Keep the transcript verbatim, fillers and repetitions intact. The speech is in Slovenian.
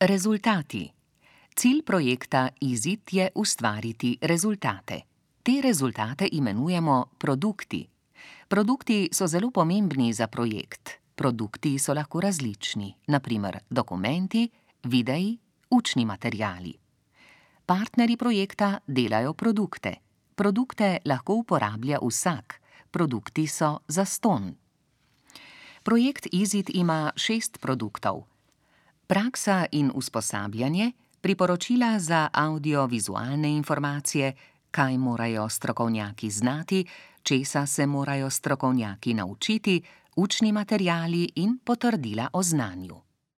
Rezultati. Cilj projekta izid je ustvariti rezultate. Te rezultate imenujemo produkti. Produkti so zelo pomembni za projekt. Produkti so lahko različni, na primer dokumenti, videi, učni materiali. Partnerji projekta delajo produkte. Produkte lahko uporablja vsak. Produkti so zastonj. Projekt izid ima šest produktov. Praksa in usposabljanje, priporočila za avdiovizualne informacije, kaj morajo strokovnjaki znati, česa se morajo strokovnjaki naučiti, učni materiali in potrdila o znanju.